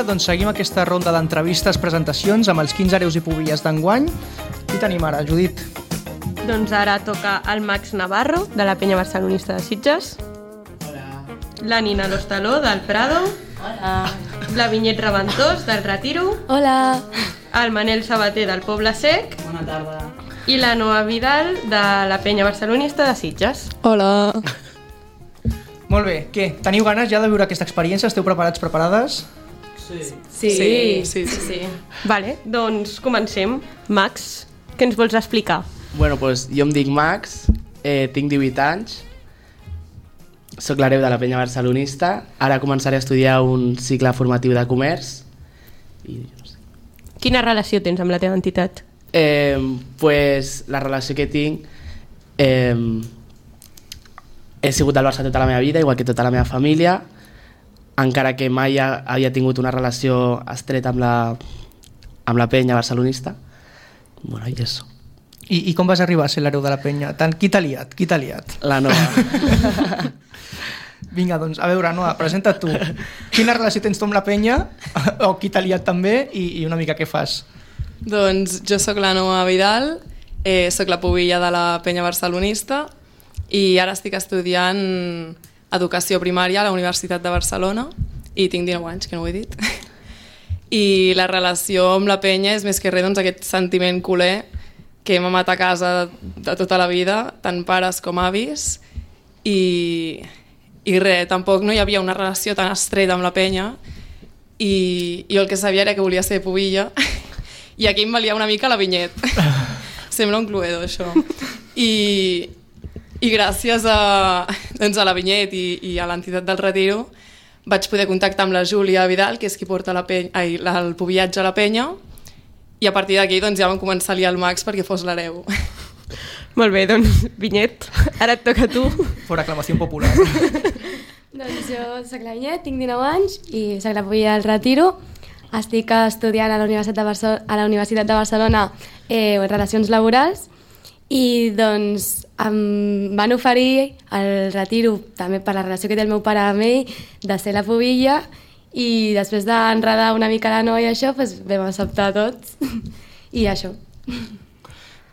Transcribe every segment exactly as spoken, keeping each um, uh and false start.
doncs seguim aquesta ronda d'entrevistes, presentacions amb els quinze hereus i pubilles d'enguany. Qui tenim ara, Judit? Doncs ara toca el Max Navarro, de la Penya Barcelonista de Sitges. Hola. La Nina Lostaló, del Prado. Hola. La Vinyet Reventós, del Retiro. Hola. El Manel Sabater, del Poble Sec. Bona tarda. I la Noa Vidal, de la Penya Barcelonista de Sitges. Hola. Molt bé, què? Teniu ganes ja de viure aquesta experiència? Esteu preparats, preparades? Sí. Sí, Sí, sí, sí. sí. Vale, doncs comencem. Max, què ens vols explicar? Bueno, doncs jo em dic Max, eh, tinc divuit anys, soc l'hereu de la Penya Barcelonista, ara començaré a estudiar un cicle formatiu de comerç. I no sé. Quina relació tens amb la teva entitat? Eh, pues, la relació que tinc... Eh, he sigut del Barça tota la meva vida, igual que tota la meva família, encara que mai ha, havia tingut una relació estreta amb la, amb la Penya Barcelonista. Bueno, i això. I, I com vas arribar a ser l'hereu de la Penya? Tant, qui t'ha liat? Qui t'ha liat? La Noa. Vinga, doncs, a veure, Noa, presenta't tu. Quina relació tens tu amb la Penya? O qui t'ha liat també? I, I una mica què fas? Doncs jo sóc la Noa Vidal, eh, sóc la pubilla de la Penya Barcelonista i ara estic estudiant educació primària a la Universitat de Barcelona i tinc dinou anys, que no ho he dit. I la relació amb la Penya és més que res doncs, aquest sentiment culer que hem amat a casa de tota la vida, tant pares com avis, i, i res, tampoc no hi havia una relació tan estreta amb la Penya i jo el que sabia era que volia ser pubilla i aquí em valia una mica la Vinyet. Sembla un cluedo, això. I, i gràcies a, doncs a la Vinyet i, i a l'entitat del Retiro vaig poder contactar amb la Júlia Vidal, que és qui porta la penya, ai, el pubillatge a la Penya, i a partir d'aquí doncs, ja vam començar a liar el Max perquè fos l'hereu. Molt bé, doncs, Vinyet, ara et toca a tu. Per aclamació popular. Doncs jo soc la Vinyet, tinc dinou anys i soc la pubilla del Retiro. Estic estudiant a la Universitat de, Barce a la Universitat de Barcelona eh, Relacions Laborals i doncs em van oferir el Retiro, també per la relació que té el meu pare amb ell, de ser la pubilla i després d'enredar una mica la noia i això, doncs vam acceptar tots i això.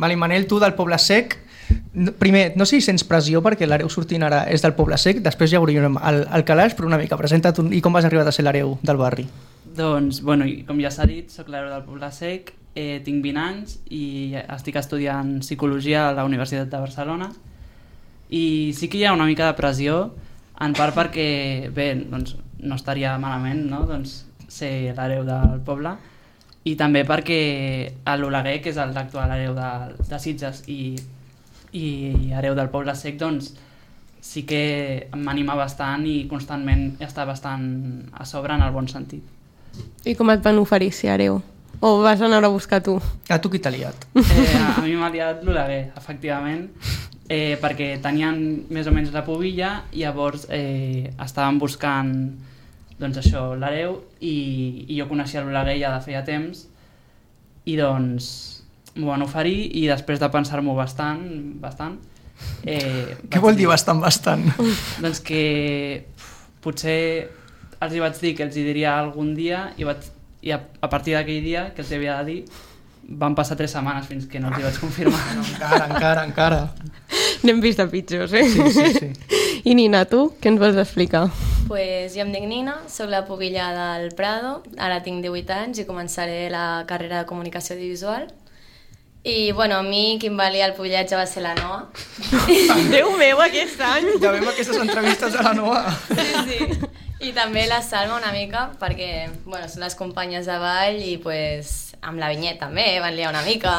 Vale, Manel, tu del Poble Sec, primer, no sé si sents pressió perquè l'hereu sortint ara és del Poble Sec, després ja obrirem el, el calaix, però una mica, presenta't un, i com vas arribar a ser l'hereu del barri? Doncs, bueno, com ja s'ha dit, soc l'hereu del Poble Sec, eh, tinc vint anys i estic estudiant Psicologia a la Universitat de Barcelona i sí que hi ha una mica de pressió, en part perquè, bé, doncs no estaria malament, no?, doncs ser l'hereu del poble, i també perquè l'Oleguer, que és l'actual hereu de, de Sitges i, i hereu del Poble Sec, doncs sí que m'anima bastant i constantment està bastant a sobre en el bon sentit. I com et van oferir ser hereu? O vas anar a buscar tu? A tu qui t'ha liat? Eh, a, a mi m'ha liat l'Oleguer, efectivament, eh, perquè tenien més o menys la pubilla i llavors eh, estaven buscant doncs això, l'hereu i, i jo coneixia l'Oleguer ja de feia temps i doncs m'ho van oferir i després de pensar-m'ho bastant, bastant eh, Què vol dir bastant, bastant? Doncs que potser els hi vaig dir que els hi diria algun dia i, vaig, i a, a partir d'aquell dia que els hi havia de dir van passar tres setmanes fins que no els hi vaig confirmar. No, encara, encara, encara. N'hem vist de pitjors, eh? Sí, sí, sí. I Nina, tu, què ens vols explicar? Pues jo em dic Nina, sóc la pubilla del Prado, ara tinc divuit anys i començaré la carrera de comunicació audiovisual. I, bueno, a mi qui em va liar el pubillatge va ser la Noa. Déu meu, aquest any! Ja veiem aquestes entrevistes a la Noa. Sí, sí. I també la Salma una mica, perquè, bueno, són les companyes de ball i, pues, amb la Vinyet també van liar una mica.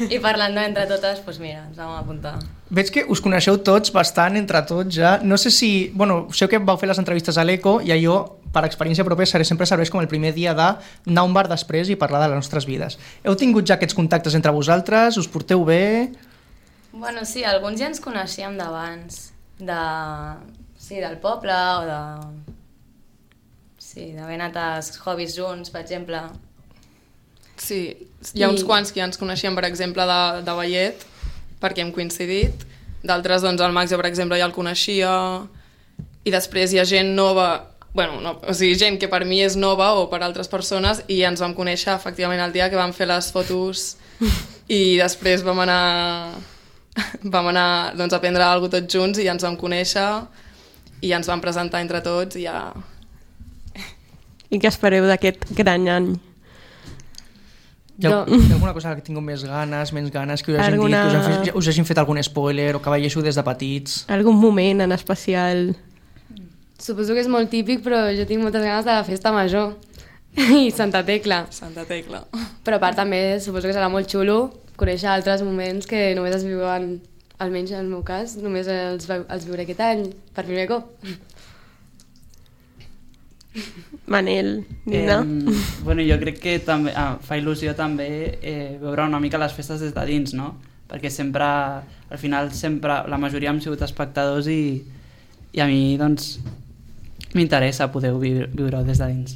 I parlant entre totes, pues mira, ens vam apuntar. Veig que us coneixeu tots bastant entre tots ja. No sé si... Bueno, sé que vau fer les entrevistes a l'Eco i allò, per experiència pròpia, sempre serveix com el primer dia d'anar a un bar després i parlar de les nostres vides. Heu tingut ja aquests contactes entre vosaltres? Us porteu bé? Bueno, sí, alguns ja ens coneixíem d'abans. De... Sí, del poble o de... Sí, d'haver anat als hobbies junts, per exemple. Sí, hi ha uns I- quants que ja ens coneixem, per exemple, de, de ballet, perquè hem coincidit. D'altres, doncs, el Max, jo, per exemple, ja el coneixia. I després hi ha gent nova bueno, no, o sigui, gent que per mi és nova o per altres persones, i ens vam conèixer efectivament el dia que vam fer les fotos i després vam anar vam anar doncs, a prendre alguna cosa tots junts i ja ens vam conèixer i ens vam presentar entre tots i ja... I què espereu d'aquest gran any? Hi ha, hi ha alguna cosa que tingueu més ganes, menys ganes, que us hagin alguna... dit, que us, han fet, us hagin fet algun spoiler o que veiéssiu des de petits? Algun moment en especial? Suposo que és molt típic, però jo tinc moltes ganes de la festa major i Santa Tecla. Santa Tecla. Però a part també suposo que serà molt xulo conèixer altres moments que només es viuen, almenys en el meu cas, només els, els viuré aquest any, per primer cop. Manel, Nina? Eh, bueno, jo crec que també, ah, fa il·lusió també eh, veure una mica les festes des de dins, no? Perquè sempre, al final, sempre, la majoria hem sigut espectadors i, i a mi, doncs, m'interessa poder viure, viure des de dins.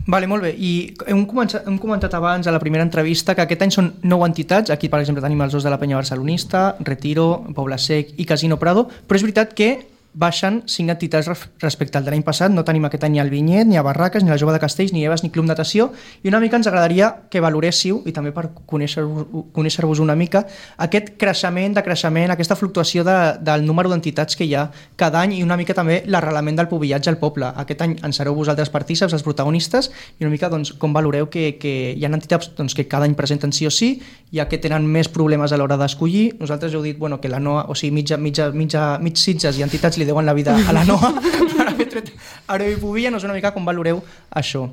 Vale, molt bé. I hem començat, hem comentat abans a la primera entrevista que aquest any són nou entitats. Aquí, per exemple, tenim els dos de la Penya Barcelonista, Retiro, Poble Sec i Casino Prado, però és veritat que baixen cinc entitats respecte al de l'any passat. No tenim aquest any ni el Vinyet, ni a Barraques, ni la Jove de Castells, ni Eves, ni Club Natació, i una mica ens agradaria que valoréssiu, i també per conèixer-vos conèixer una mica, aquest creixement, decreixement, aquesta fluctuació de, del número d'entitats que hi ha cada any i una mica també l'arrelament del pubillatge al poble. Aquest any en sereu vosaltres partíceps, els protagonistes, i una mica doncs, com valoreu que, que hi ha entitats doncs, que cada any presenten sí o sí, ja que tenen més problemes a l'hora d'escollir. Nosaltres heu dit bueno, que la N O A, o sigui, mitja, mitja, mitja, mig Sitges i entitats li deuen la vida a la N O A per haver tret Areu i Pubilla. No sé una mica com valoreu això.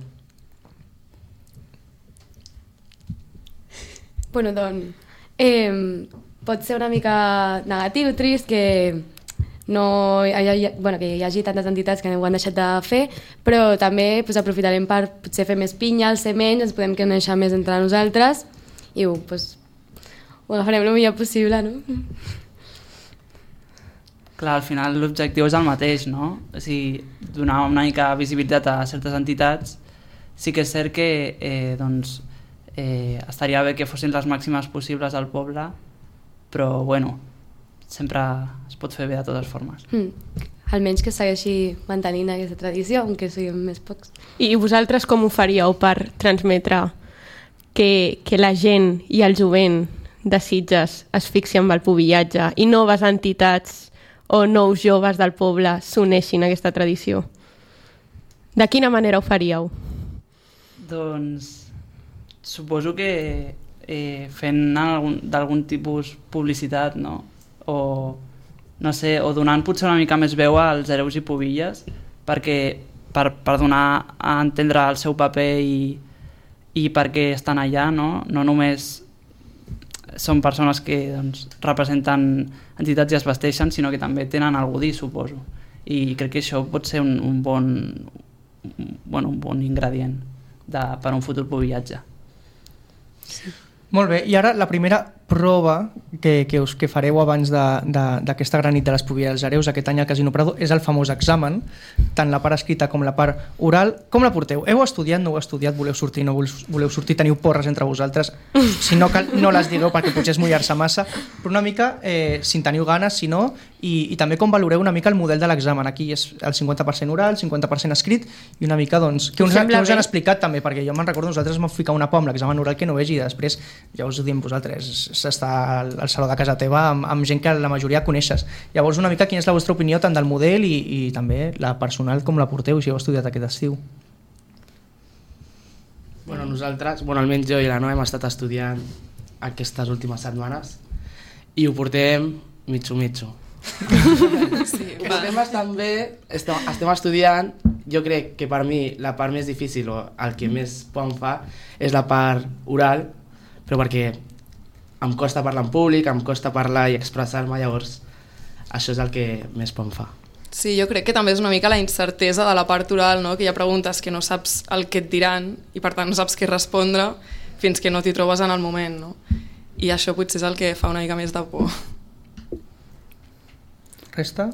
Bueno, doncs, eh, pot ser una mica negatiu, trist, que no hi hagi, bueno, que hi hagi tantes entitats que ho han deixat de fer, però també pues, aprofitarem per potser fer més pinya, ser menys, ens podem conèixer més entre nosaltres i ho, pues, ho agafarem el millor possible, no? Clar, al final l'objectiu és el mateix, no? O sigui, donar una mica visibilitat a certes entitats. Sí que és cert que eh, doncs, eh, estaria bé que fossin les màximes possibles al poble, però bueno, sempre es pot fer bé de totes formes. Mm. Almenys que segueixi mantenint aquesta tradició, aunque siguem més pocs. I vosaltres com ho faríeu per transmetre que, que la gent i el jovent de Sitges es fixi amb el pubillatge i noves entitats o nous joves del poble s'uneixin a aquesta tradició? De quina manera ho faríeu? Doncs suposo que eh, fent d'algun tipus publicitat, no? O, no sé, o donant potser una mica més veu als hereus i pubilles perquè, per, per donar a entendre el seu paper i, i per què estan allà, no? No només són persones que doncs, representen entitats i es vesteixen, sinó que també tenen algú a dir, suposo. I crec que això pot ser un, un, bon, bueno, un bon ingredient de, per a un futur pubillatge. Sí. Molt bé, i ara la primera prova que, que, us, que fareu abans d'aquesta gran nit de les Pubilles dels Hereus aquest any al Casino Prado és el famós examen, tant la part escrita com la part oral. Com la porteu? Heu estudiat, no heu estudiat, voleu sortir, no voleu sortir, teniu porres entre vosaltres? Si no, cal, no les digueu perquè potser és mullar-se massa, però una mica, eh, si en teniu ganes, si no, i, i també com valoreu una mica el model de l'examen. Aquí és el cinquanta per cent oral, el cinquanta per cent escrit, i una mica, doncs, què us, què us han explicat també, perquè jo me'n recordo, nosaltres m'ho ficar una por amb l'examen oral que no vegi, i després ja us ho diem vosaltres, s'està al, al saló de casa teva amb, amb gent que la majoria coneixes. Llavors, una mica, quina és la vostra opinió tant del model i, i també la personal, com la porteu, si heu estudiat aquest estiu? Bueno, nosaltres, bueno, almenys jo i la Noa hem estat estudiant aquestes últimes setmanes i ho portem mitjo-mitjo. Sí, estem bastant bé, estem, estem estudiant. Jo crec que per mi la part més difícil o el que més por em fa és la part oral, però perquè em costa parlar en públic, em costa parlar i expressar-me, llavors això és el que més por em fa. Sí, jo crec que també és una mica la incertesa de la part oral, no? Que hi ha preguntes que no saps el que et diran i per tant no saps què respondre fins que no t'hi trobes en el moment, no? I això potser és el que fa una mica més de por. Resta?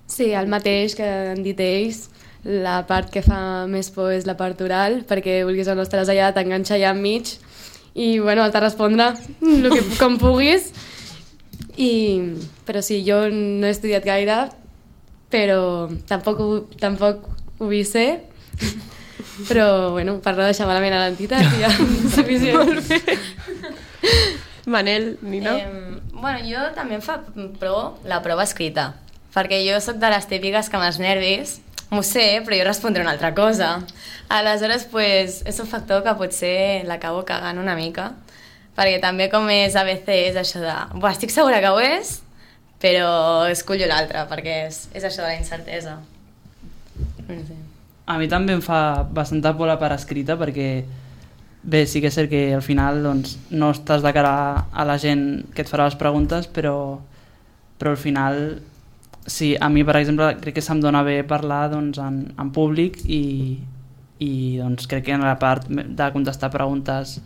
Sí, el mateix que han dit ells. La part que fa més por és la part oral, perquè vulguis o no estaràs allà, t'enganxa allà enmig i bueno, has de respondre el que, com puguis. I, però sí, jo no he estudiat gaire, però tampoc ho, tampoc ho vull ser. Però, bueno, per no deixar malament a l'entitat ja és suficient. Manel, Nina? Eh, bueno, jo també em fa pro la prova escrita, perquè jo sóc de les típiques que amb els nervis m'ho sé, però jo respondré una altra cosa. Aleshores, pues, és un factor que potser l'acabo cagant una mica, perquè també com és A B C és això de buah, estic segura que ho és, però escollo l'altra, perquè és, és això de la incertesa. No sé. A mi també em fa bastanta por la part escrita, perquè bé, sí que és cert que al final doncs, no estàs de cara a la gent que et farà les preguntes, però, però al final, sí, a mi per exemple crec que se'm dona bé parlar doncs, en, en públic i, i doncs, crec que en la part de contestar preguntes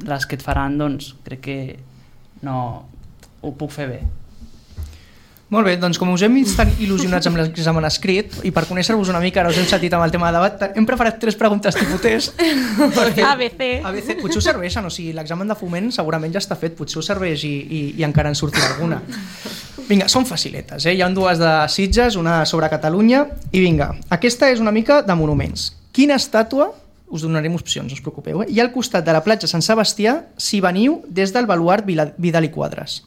les que et faran, doncs crec que no ho puc fer bé. Molt bé, doncs com us hem vist tan il·lusionats amb l'examen escrit i per conèixer-vos una mica, ara us hem sentit amb el tema de debat, hem preparat tres preguntes tipus test. A B C. A B C. Potser us serveixen, o sigui, l'examen de foment segurament ja està fet, potser us serveix i, i, i encara en sortirà alguna. Vinga, són faciletes, eh? Hi ha dues de Sitges, una sobre Catalunya, i vinga, aquesta és una mica de monuments. Quina estàtua, us donarem opcions, no us preocupeu, eh? Hi ha al costat de la platja Sant Sebastià si veniu des del baluart Vidal i Quadras?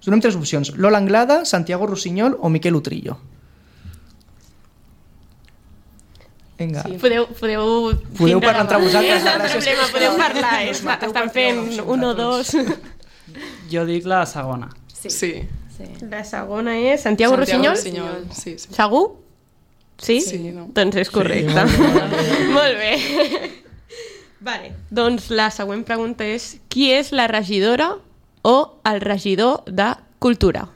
Us donem tres opcions, Lola Anglada, Santiago Rossinyol o Miquel Utrillo. Vinga. Sí, podeu, podeu, podeu parlar entre vosaltres. No és problema, podeu parlar, eh? Estan fent un o dos. Jo dic la segona. Sí. sí. Sí. La segona és Santiago, Santiago Rossinyol? Rossinyol. Sí, sí. Segur? Sí? Sí, no. Doncs és correcte. Sí, molt bé. Molt bé. Vale. Doncs la següent pregunta és qui és la regidora o el regidor de Cultura?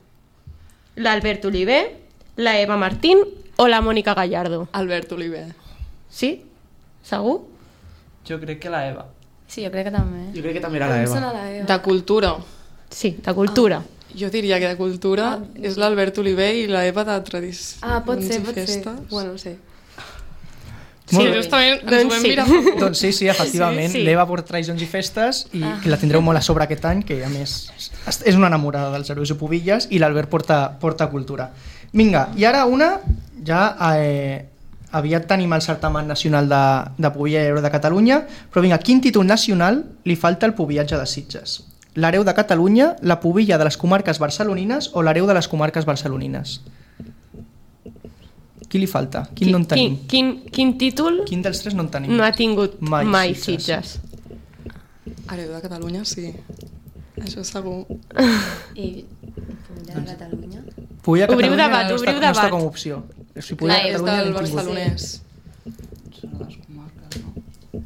L'Albert Oliver, la Eva Martín o la Mònica Gallardo? Albert Oliver. Sí? Segur? Jo crec que la Eva. Sí, jo crec que també. Jo crec que també era la Eva. De Cultura. Sí, de Cultura. Ah, jo diria que de Cultura ah, és l'Albert Oliver i la Eva de Tradició. Ah, pot ser, pot festes. ser. Bueno, no sé. Sí, justament ens Doncs ho vam sí. mirar. Doncs sí, sí, efectivament. Sí, sí. L'Eva porta Tradicions i Festes i ah. que la tindreu molt a sobre aquest any, que a més és una enamorada dels herois i pubilles, i l'Albert porta, porta Cultura. Vinga, i ara una, ja eh, aviat tenim el certamen nacional de, de pubilla i hereu de Catalunya, però vinga, quin títol nacional li falta al pubillatge de Sitges? L'hereu de Catalunya, la pubilla de les comarques barcelonines o l'hereu de les comarques barcelonines? Qui li falta? Quin, quin no en tenim? Quin, quin, quin títol Quin dels tres no en tenim? no ha tingut mai, Mai mai Sitges. Sitges? Hereu de Catalunya, sí. Això segur. I Pubilla de Catalunya? Pubilla Obriu Catalunya debat, no està, obriu no està debat. com a opció. Si Clar, Pubilla és És Catalunya del l'hem tingut. barcelonès. Són les comarques, no?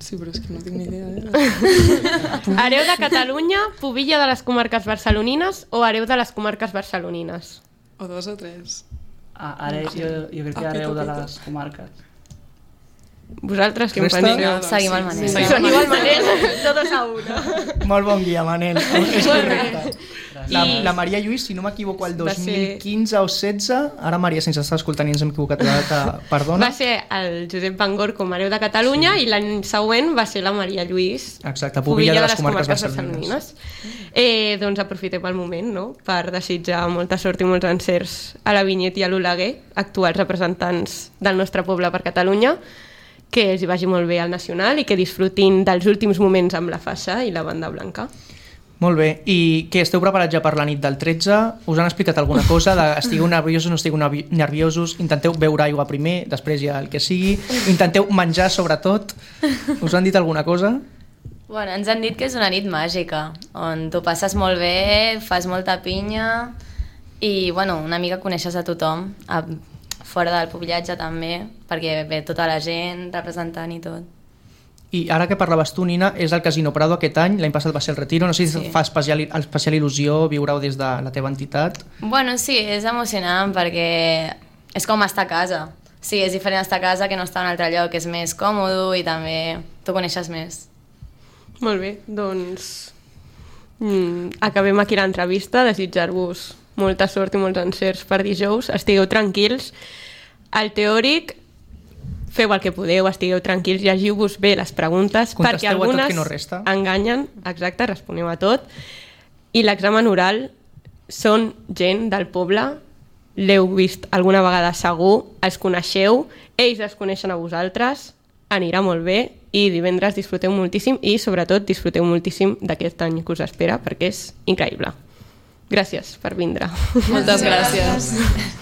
Sí, però és que no tinc ni idea. Eh? Hereu de Catalunya, pubilla de les comarques barcelonines o hereu de les comarques barcelonines? O dos o tres. Ah, ara jo, jo crec que Ah, hereu pito, de pito. les comarques. Vosaltres què en Resta? penseu? doncs Seguim el sí, Manel. sí, sí. Seguim el Manel, todos a una. Molt bon guia, Manel. És Molt bé. correcte. La, I- la Maria Lluís, si no m'equivoco, el Va dos mil ser- quinze o setze, ara Maria, sense estar escoltant i ens hem equivocat de data, perdona. Va ser el Josep Bangor com a hereu de Catalunya sí. i l'any següent va ser la Maria Lluís, Exacte, pubilla de les comarques barcelonines. Eh, doncs aprofitem el moment, no?, per desitjar molta sort i molts encerts a la Vinyet i a l'Oleguer, actuals representants del nostre poble per Catalunya, que els hi vagi molt bé al Nacional i que disfrutin dels últims moments amb la faixa i la banda blanca. Molt bé, i què, esteu preparats ja per la nit del tretze? Us han explicat alguna cosa? De, estigueu nerviosos, no estigueu nervi- nerviosos? Intenteu beure aigua primer, després ja el que sigui? Intenteu menjar, sobretot? Us han dit alguna cosa? Bueno, ens han dit que és una nit màgica, on tu passes molt bé, fas molta pinya i, bueno, una mica coneixes a tothom, a, fora del pubillatge també, perquè ve tota la gent representant i tot. I ara que parlaves tu, Nina, és el Casino Prado aquest any, l'any passat va ser el Retiro, no sé si Sí. fa especial, especial il·lusió viure-ho des de la teva entitat. Bueno, sí, és emocionant perquè és com estar a casa. Sí, és diferent estar a casa que no estar en un altre lloc, és més còmode i també tu coneixes més. Molt bé, doncs mm, acabem aquí l'entrevista, desitjar-vos molta sort i molts encerts per dijous, estigueu tranquils. Al teòric, feu el que podeu, estigueu tranquils, llegiu-vos bé les preguntes, Contesteu perquè a tot algunes que no resta. enganyen, exacte, responeu a tot, i l'examen oral són gent del poble, l'heu vist alguna vegada segur, els coneixeu, ells es coneixen a vosaltres, anirà molt bé i divendres disfruteu moltíssim i sobretot disfruteu moltíssim d'aquest any que us espera perquè és increïble. Gràcies per vindre. Moltes gràcies.